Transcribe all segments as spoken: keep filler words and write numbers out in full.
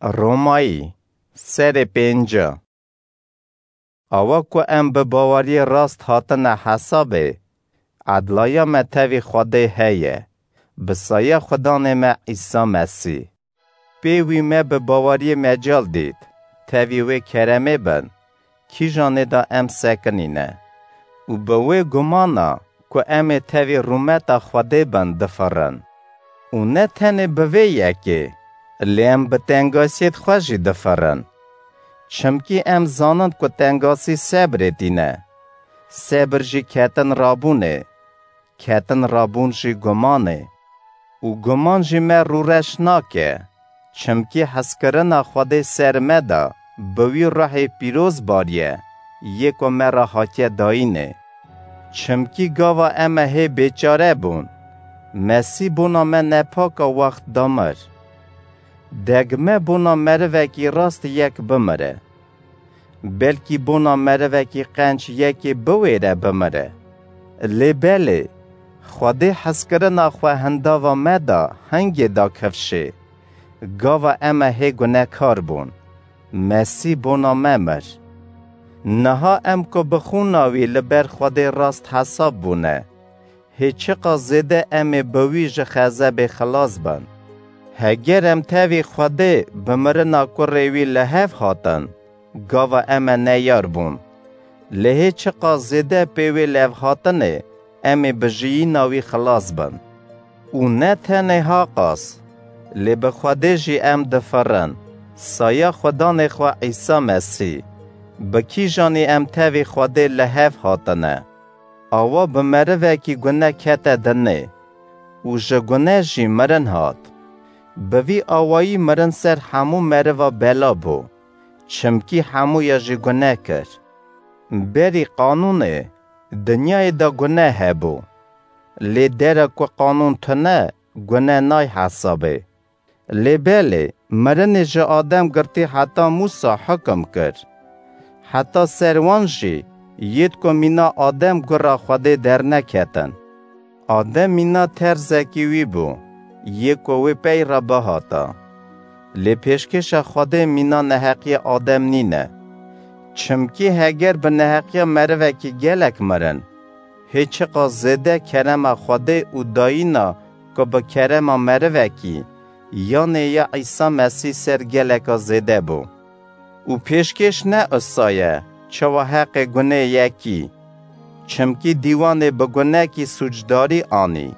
Romayî, serê pênca. Awa ku em bi baweriyê rast hatine hesabê, edlaya me tevî Xwedê heye, bi saya Xudanê me Îsa Mesîh. Pê wî me bi baweriyê mecal dît, tevî wê keremê bin, kîjanê de em sekinîne. Û bi wê gumana ku em ê tevî rûmeta Xwedê bin difirin. Û ne tenê bi vê yekê, lê em bi tengasiyêd xwe jî difirin. Çimkî em zanin ku tengasî sebrê tîne. Sebir jî ketin rabûnê. Ketin rabûn jî gumanê. Û guman jî me rûreş nake. Çimkî hezkirina Xwedê ser me de bi wî ruhê pîroz bariye, yê ku me re hatiye dayînê. Çimkî gava em e hê bêçare bûn, Mesîh bona me nepaka wext da mir. Deg me bona merivekî rast yek bimire. Belkî bona merivekî qenc yekê biwêre bimire. Lê belê, Xwedê hezkirina xwe hindava me da hingê da kifşê. Gava em e hê gunekar bûn. Mesîh bona me mir. Niha em ku bi xûna wî li ber Xwedê rast hesab bûne, hê çiqas zêde em ê bi wî ji xezebê xilas bin. Heger em tevî Xwedê bi mirina kurê wî li hev hatin, gava em e neyar bûn. Lê hê çiqas zêde pê wê levhatinê em ê bi jiyîna wî xilas bin. Û ne tenê haqas, lê bi Xwedê jî em difirin, saya Xudanê xwe Îsa Mesîh, bi kîjanî em tevî Xwedê li hev hatine. Awa bi merivekî gune kete dinê û ji gune jî mirin hat. Bi vî awayî mirin ser hemû meriva bela bû, çimkî hemûya jî gune kir. Berî qanûnê dinyayê de gune hebû. Lê dera ku qanûn tune, gune nay hesabê. Lê belê, mirinê ji Adem girtî heta Mûsa hukim kir. Heta ser wan jî, yêd ku mîna Adem gura Xwedê derneketin. Adem mîna terzekî wî bû, yê ku wê pey re bihata. Lê pêşkêşa Xwedê mîna neheqiya Adem nîne. Çimkî heger bi neheqiya merivekî gelek mirin, hê çiqas zêde kerema Xwedê û dayîna ku bi kerema merivekî, yanê ya Îsa Mesîh ser geleka zêde bû. Û pêşkêş ne usa ye, çawa heqê gunê yekî. Çimkî dîwanê bi gunekî sûcdarî anî.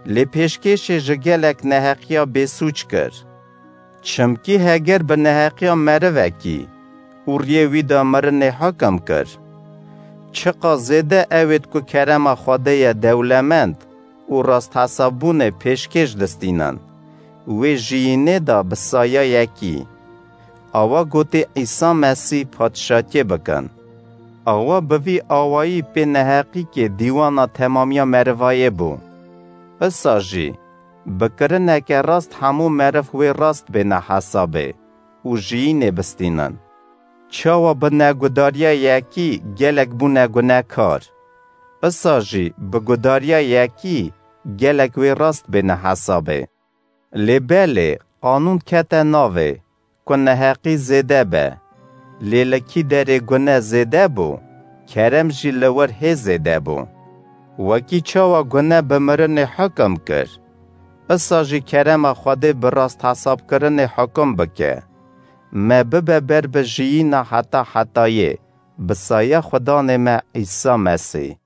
Lê pêşkêşê ji gelek neheqiya bêsûc kir. Çimkî heger bi neheqiya merivekî û riyê wî de mirinê hukim kir, çiqas zêde ewêd ku kerema Xwedê ye dewlemend û rasthesabûnê pêşkêş distînin, wê jiyînê de bi saya yekî. Awa gotê Îsa Mesîh padşatiyê bikin. Awa bi vî awayî pê neheqîkê dîwana temamiya merivayê bû. Isa jî, bi kirineke rast hemû meriv wê rast bêne hesabê û jiyînê bistînin. Çawa bi negudariya yekî gelek bûne gunekar, isa jî bi gudariya yekî gelek wê rast bêne hesabê. Lê belê, qanûn kete navê, ku neheqî zêde be. Lê li kî derê gune zêde bû, kerem jî li wir hê zêde bû. Wekî çawa gune bi mirinê hukim kir, isa jî kerema Xwedê bi rasthesabkirinê hukim bike. Me bibe ber bi jiyîna heta hetayê, bi saya Xudanê me Îsa Mesîh.